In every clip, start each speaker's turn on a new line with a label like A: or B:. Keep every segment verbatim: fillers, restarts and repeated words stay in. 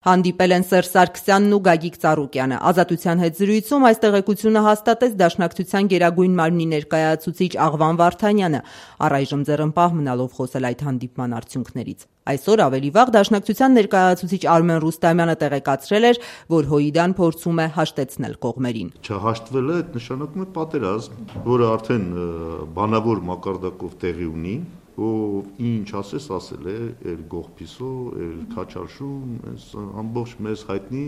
A: Հանդիպել են Սերժ Սարգսյանն ու Գագիկ Ծառուկյանը։ Ազատության հետ զրույցում այս տեղեկությունը հաստատեց Դաշնակցության գերագույն մարմնի ներկայացուցիչ Աղվան Վարդանյանը, առայժմ ձեռնպահ մնալով խոսել այդ հանդիպման արդյունքներից։ Այսօր ավելի վաղ Դաշնակցության ներկայացուցիչ Արմեն Ռուստամյանը տեղեկացրել էր, որ Հույդան փորձում է հաշտեցնել կողմերին։
B: Չհաշտվելը այդ նշանակում է պատերազմ, որը արդեն բանավոր մակարդակով տեղի ունի, ու ինչ ասես ասել է էլ գողփիսո, էլ քաչարշում, այս ամբողջ մեզ հայտնի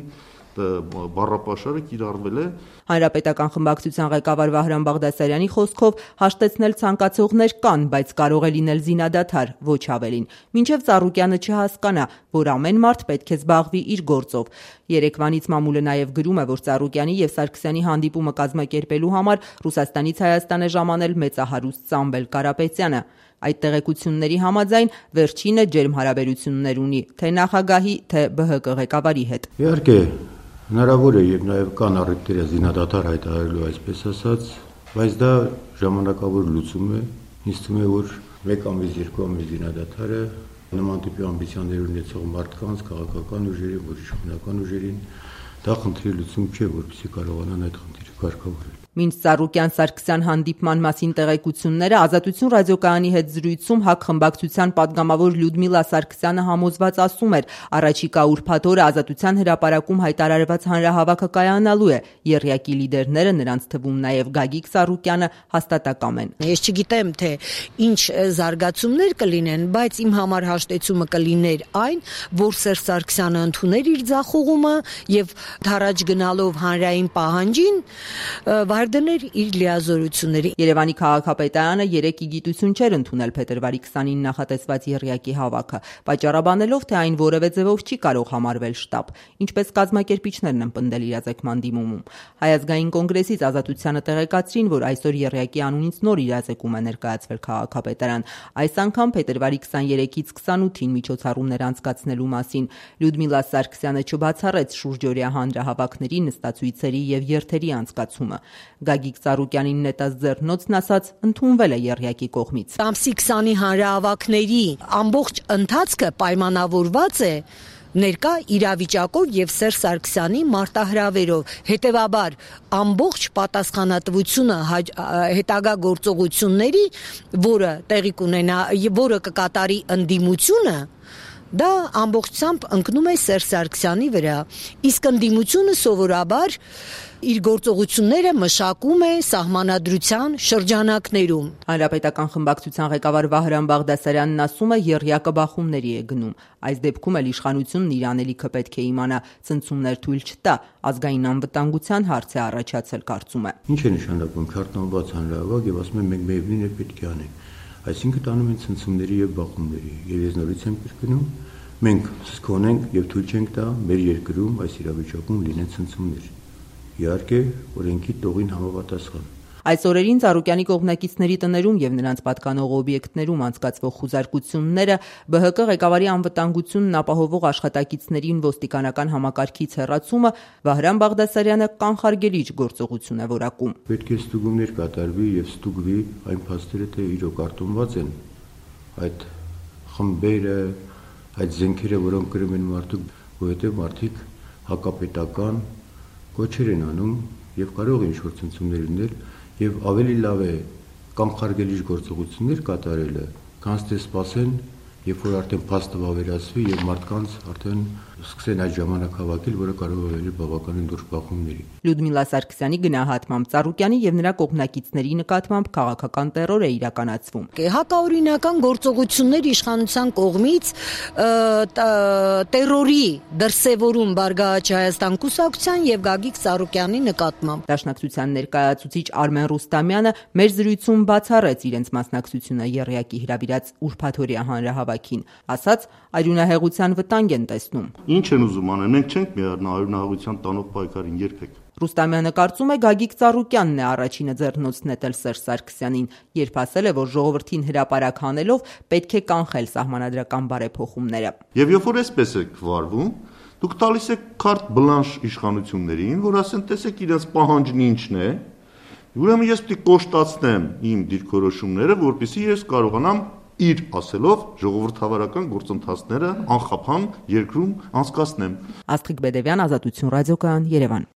B: բառապաշարը կիրառվել է։
A: Հանրապետական խմբակցության ղեկավար Վահրամ Բաղդասարյանի խոսքով հաշտեցնել ցանկացողներ կան, բայց կարող է լինել զինադադար, ոչ ավելին, մինչև Ծառուկյանը չհասկանա, որ ամեն մարդ պետք է զբաղվի իր գործով։ Երեկվանից մամուլը նաև գրում է, որ Ծառուկյանի եւ Սարգսյանի հանդիպումը կազմակերպելու համար Ռուսաստանից Հայաստան է ժամանել մեծահարուստ Սամվել Կարապետյանը։ Այդ տեղեկությունների համաձայն վերջինը ջերմ հարաբերություններ ունի թե նախագահի, թե B H K ղեկավարի հետ։
C: Իհարկե, հնարավոր է եւ նաեւ կան առիթները զինադադար հայտարարելու այսպես ասած, բայց դա ժամանակավոր լուծում է։ Ինձ թվում է, որ մեկ ամիս, երկու ամիս զինադադարը նման տիպի ամբիցիաներ ունեցող մարդկանց, քաղաքական ուժերին, ոչ իշխանական ուժերին, դա խնդրի լուծում չէ, որպեսզի կարողանան այդ խնդիրը կարգավորել։
A: Մինչ Ծառուկյան-Սարգսյան հանդիպման մասին տեղեկությունները Ազատություն ռադիոկայանի հետ զրույցում ՀԱԿ խմբակցության падգամավոր Լյուդմիլա Սարգսյանը համոզված ասում էր, առաջիկա ուրբաթ օրը Ազատության հրապարակում հայտարարված հանրահավաքը կայանալու է, եռյակի լիդերները, նրանց թվում նաև Գագիկ Ծառուկյանը, հաստատակամ են։
D: Ես չգիտեմ, թե ինչ զարգացումներ կլինեն, բայց իմ համար հաշտեցումը կլիներ այն, որ Սերժ Սարգսյանը ընդուներ իր ձախողումը եւ թառաջ գնալով հանրային պահանջին դներ իր լիազորությունների։
A: Երևանի քաղաքապետարանը երեկ ի գիտություն չէր ընդունել փետրվարի քսանինը նախատեսված եռյակի հավաքը, պատճառաբանելով, թե այն որևէ ձևով չի կարող համարվել շտապ, ինչպես կազմակերպիչներն են պնդել իրազեկման դիմումում։ Հայ ազգային կոնգրեսից Ազատությանը տեղեկացրին, որ այսօր եռյակի անունից նոր իրազեկում է ներկայացվել քաղաքապետարան, այս անգամ փետրվարի քսաներեքից քսանութին միջոցառումներ անցկացնելու մասին։ Լյուդմիլա Սարգսյանը չբացառեց շուրջօրյա հանրահավաքների, նստացույցերի եւ երթերի անցկացումը։ Գագիկ Ծառուկյանին նետած ձեռնոցն ասաց, ընդունվել է եռյակի կողմից։
D: Ամսի քսանի հանրահավաքների ամբողջ ընթացքը պայմանավորված է ներկա իրավիճակով եւ Սերժ Սարգսյանի մարտահրավերով, հետեւաբար ամբողջ պատասխանատվությունը հետագա գործողությունների, որը տեղի կունենա, որը կկատարի ընդդիմությունը, դա ամբողջությամբ ընկնում է Սերժ Սարգսյանի վրա, իսկ ընդդիմությունը սովորաբար իր գործողությունները մշակում է սահմանադրության շրջանակներում։
A: Հանրապետական խմբակցության ղեկավար Վահրամ Բաղդասարյանն ասում է, եռյակը բախումների է գնում։ Այս դեպքում էլ իշխանությունն իր անելիքը պետք է իմանա, ցնցումներ թույլ չտա, ազգային անվտանգության հարց է առաջացել, կարծում է։
C: Ինչ է նշանակում քարտանված հանրահավաք եւ ասում են մենք միևնույն է պետք է անենք։ Այսինքն տանում են ցնցումների եւ բախումների։ Եվ ես նորից եմ կրկնում, մենք սկսոնենք եւ թույլ չենք տա մեր երկրում այս իրավիճակում լինեն ցնցումներ։ Իհարկե, օրենքի տողին համապատասխան։
A: Այս օրերին Ծառուկյանի կողմնակիցների տներում եւ նրանց պատկանող օբյեկտներում անցկացվող խուզարկությունները B H K ղեկավարի անվտանգությունն ապահովող աշխատակիցներին ոստիկանական համակարգից հեռացումը Վահրամ Բաղդասարյանը կանխարգելիչ գործողություն է որակում։
C: Պետք է ստուգումներ կատարվի եւ ստուգվի այն փաստերը, թե իրոք արտոնված են այդ խմբերը, այդ զենքերը, որոնք գրում են մարդիկ, որովհետեւ մարդիկ հակապետական կոչեր են անում եւ կարող են ինչ-որ ցնցումներ լինել եւ ավելի լավ է կանխարգելիչ գործողություններ կատարելը, քան թե սպասեն, երբ որ արդեն փաստը վավերացվի եւ մարդկանց արդեն սկսեն այդ ժամանակ հավաքել, որը կարող է լինել բավականին դուրս բախումների։
A: Լյուդմիլա Սարգսյանի գնահատմամբ Ծառուկյանի եւ նրա կողմնակիցների նկատմամբ քաղաքական տերոր է իրականացվում։
D: Հակաօրինական գործողություններ իշխանության կողմից տերորի դրսևորում Բարգավաճ Հայաստան կուսակցության եւ Գագիկ Ծառուկյանի նկատմամբ։
A: Դաշնակցության ներկայացուցիչ Արմեն Ռուստամյանը մեր զրույցում բացառեց իրենց մասնակցությունը եռյակի հրավիրած ուրբաթօրյա հանրահավաքին, ասաց արյունահեղության վտանգ են տեսնում։
B: Ինչ են ուզում անել, մենք չենք միառնա արյունահեղության տանող պայքարին երբեք։
A: Ռուստամյանը կարծում է Գագիկ Ծառուկյանն է առաջինը ձեռնոցն նետել Սերժ Սարգսյանին, երբ ասել է, որ ժողովրդին հրապարակ հանելով պետք է կանխել սահմանադրական բարեփոխումները։
B: Եվ երբ որ այսպես եք վարվում, դուք տալիս եք քարտ բլանշ իշխանություններին, որ ասեն, տեսեք իրենց պահանջն ինչն է, ուրեմն ես պետք է կոշտացնեմ իմ դիրքորոշումները, որպեսզի ես կարողանամ իր ասելով ժողովրդավարական գործընթացները անխափան երկրում անցկացնեմ։
A: Աստղիկ Բեդևյան, Ազատություն ռադիոկայան, Երևան։